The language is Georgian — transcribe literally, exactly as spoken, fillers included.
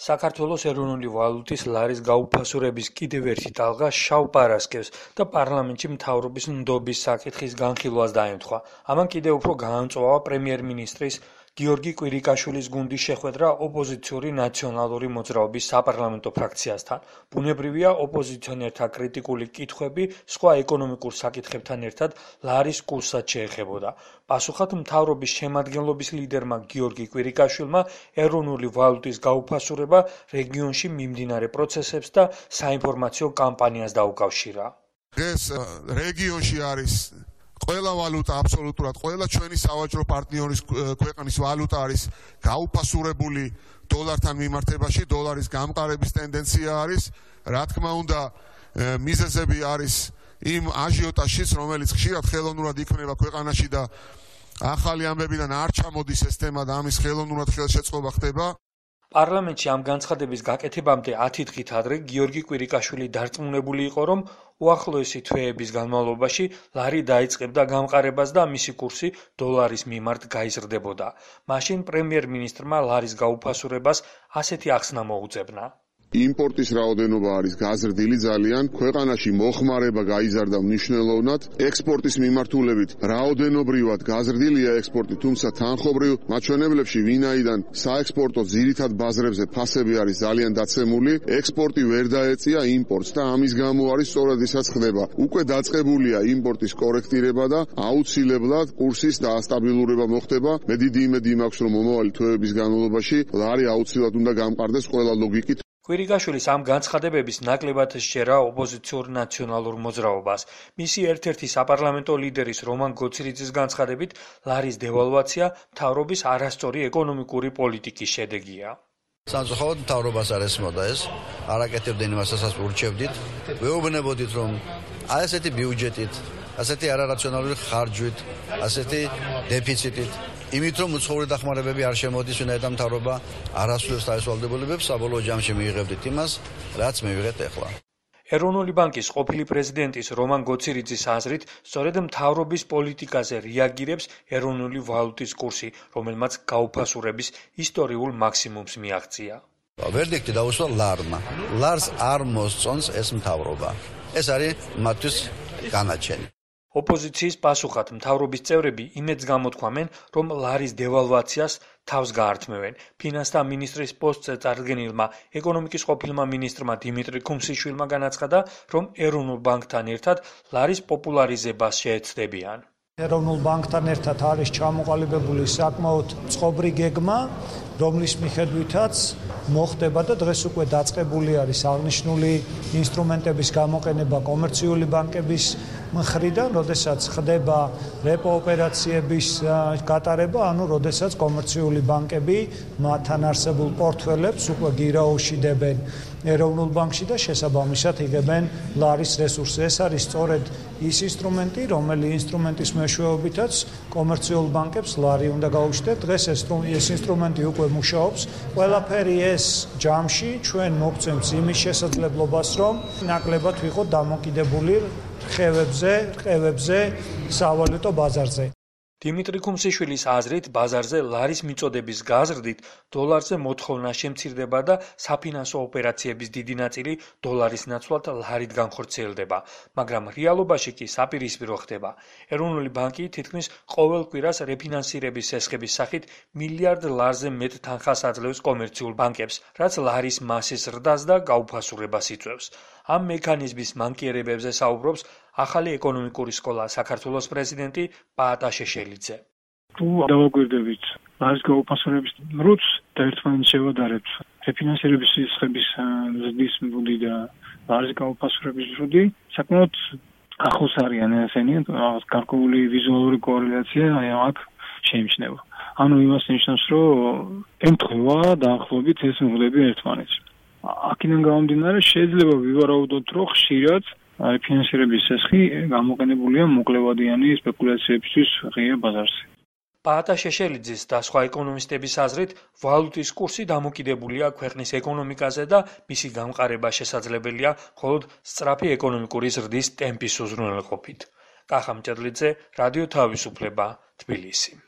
საქართველოს ეროვნული ვალუტის ლარის გაუფასურების კიდევ ერთი ტალღა შავ პარასკევს და პარლამენტში მთავრობის ნდობის საკითხის განხილვას დაემთხვა. ამან კიდევ უფრო გაამწვავა პრემიერ-მინისტრის გიორგი კვირიკაშვილის გუნდის შეხვედრა ოპოზიციური ნაციონალური მოძრაობის საპარლამენტო ფრაქციასთან. ბუნებრივია, ოპოზიციონერთა კრიტიკული კითხვები სხვა ეკონომიკურ საკითხებთან ერთად ლარის კურსსაც შეეხებოდა. პასუხად მთავრობის შემადგენლობის ლიდერმა გიორგი კვირიკაშვილმა ეროვნული ვალუტის გაუფასურება რეგიონში მიმდინარე პროცესებს და საინფორმაციო კამპანიას დაუკავშირა. ეს რეგიონში არის ყველა ვალუტა აბსოლუტურად ყველა ჩვენი სავაჭრო პარტნიორის ქვეყნის ვალუტა არის გაუფასურებული დოლართან მიმართებაში, დოლარის გამყარების ტენდენცია არის. რა თქმა უნდა, მიზეზები არის იმ აჟიოტაჟის, რომელიც ხშირად ხელოვნურად იქმნება ქვეყანაში და ახალი ამბებიდან არ ჩამოდის ეს თემა და ამის ხელოვნურად ხელშეწყობა ხდება. პარლამენტში ამ განცხადების გაკეთებამდე ათი დღით ადრე გიორგი კვირიკაშვილი დარწმუნებული იყო, რომ უახლოესი თვეების განმავლობაში ლარი დაიწყებდა გამყარებას და მისი კურსი დოლარის მიმართ გაიზრდებოდა. მაშინ პრემიერ-მინისტრმა ლარის გაუფასურებას ასეთი ახსნა მოუძებნა. იმპორტის რაოდენობა არის გაზრდილი ძალიან, ქვეყანაში მოხმარება გაიზარდა მნიშვნელოვნად, ექსპორტის მიმართულებით რაოდენობრივად გაზრდილია ექსპორტი, თუმცა თანხობრივ მაჩვენებლებში ვინაიდან საექსპორტო ძირითად ბაზრებზე ფასები არის ძალიან დაცემული, ექსპორტი ვერ დაეწია იმპორტს და ამის გამო არის სწორად ისაც ხდება. უკვე დაწყებულია იმპორტის კორექტირება და აუცილებლად კურსის დაასტაბილურება მოხდება. მე დიდი იმედი მაქვს, რომ მომავალი თვეების განმავლობაში ლარი აუცილებლად უნდა გამყარდეს ყველა ლოგიკით. კვირიკაშვილის ამ განცხადებების ნაკლებად სჯერა ოპოზიციურ ნაციონალურ მოძრაობას. მისი ერთ-ერთი საპარლამენტო ლიდერის რომან გოცირიძის განცხადებით, ლარის დევალვაცია მთავრობის არასწორი ეკონომიკური პოლიტიკის შედეგია. სამწუხაროდ მთავრობას არ ესმოდა ეს, არ აკეთებდნენ იმას, რასაც ურჩევდით. ვეუბნებოდით, რომ აი ესეთი ბიუჯეტით, ასეთი არარაციონალური ხარჯვით, ასეთი დეფიციტით იმით რომ უცხოური დახმარებები არ შემოდის, ვინაიდან მთავრობა არ ასრულებს თავის ვალდებულებებს, საბოლოო ჯამში მიიღებდით იმას, რაც მივიღეთ ახლა. ეროვნული ბანკის ყოფილი პრეზიდენტის რომან გოცირიძის აზრით, სწორედ მთავრობის პოლიტიკაზე რეაგირებს ეროვნული ვალუტის კურსი, რომელმაც გაუფასურების ისტორიულ მაქსიმუმს მიაღწია. ვერდიქტი დაუსვა ლარმა. ლარს არ მოსწონს ეს მთავრობა. ეს არის მათთვის განაჩენი. ოპოზიციის პასუხად მთავრობის წევრები იმედს გამოთქვამენ, რომ ლარის დევალვაციას თავს გაართმევენ. ფინანსთა მინისტრის პოსტზე წარდგენილმა ეკონომიკის ყოფილმა მინისტრმა დიმიტრი ქუმსიშვილმა განაცხადა, რომ ეროვნულ ბანკთან ერთად ლარის პოპულარიზებას შეეცდებიან. ეროვნულ ბანკთან ერთად არის ჩამოყალიბებული საკმაოდ წყობრი გეგმა, რომლის მიხედვითაც მოხდება და დღეს უკვე დაწყებული არის აღნიშნული ინსტრუმენტების გამოყენება კომერციული ბანკების მხრიდან, როდესაც ხდება რეპო ოპერაციების გატარება, ანუ როდესაც კომერციული ბანკები მათთან არსებულ პორტფელებს უკვე გირაოში დებენ ეროვნულ ბანკში და შესაბამისად იღებენ ლარის რესურსს. ეს არის სწორედ ის ინსტრუმენტი, რომელი ინსტრუმენტის მეშვეობითაც კომერციულ ბანკებს ლარი უნდა გაუჩნდეთ. დღეს ეს ეს ინსტრუმენტი უკვე მუშაობს. ყველაფერი ეს ჯამში ჩვენ მოგცემს იმის შესაძლებლობას, რომ ნაკლებად ვიყოთ დამოკიდებული რხევებზე, რყევებზე სავალუტო ბაზარზე. დიმიტრი ქუმსიშვილის აზრით, ბაზარზე ლარის მიწოდების გაზრდით დოლარზე მოთხოვნა შემცირდება და საფინანსო ოპერაციების დიდი ნაწილი დოლარის ნაცვლად ლარით განხორციელდება, მაგრამ რეალობაში კი საპირისპირო ხდება. ეროვნული ბანკი თითქმის ყოველ კვირას რეფინანსირების ესხების სახით მილიარდ ლარზე მეტ თანხას აძლევს კომერციულ ბანკებს, რაც ლარის მასის ზრდას და გაუფასურებას იწვევს. ამ მექანიზმის მანკიერებებზე საუბრობს ახალი ეკონომიკური სკოლა საქართველოს პრეზიდენტი პაატა შეშელიძე. თუ დავაგვირდებით ლარის გაუფასურების რუცს და ერთმანეთს შევადარებთ რეფინანსირების სისხების ზრდის მრუდი და ლარის გაუფასურების მრუდი, საკმაოდ ახლოს არიან ესენი, გარკვეული ვიზუალური კორელაცია აქ შეიმჩნევა. ანუ იმას ნიშნავს, რომ ემთხვევა დაახლოებით ეს მრუდები ერთმანეთს. აქედან გამომდინარე შეიძლება ვივარაუდოთ, რომ ხშირად ფინანსირების სესხი გამოყენებულია მოკლევადიანი სპეკულაციებისთვის ღია ბაზარზე. პაატა შეშელიძის და სხვა ეკონომისტების აზრით, ვალუტის კურსი დამოკიდებულია ქვეყნის ეკონომიკაზე და მისი გამყარება შესაძლებელია მხოლოდ სწრაფი ეკონომიკური ზრდის ტემპის უზრუნველყოფით. კახა მჭედლიძე, რადიო თავისუფლება, თბილისი.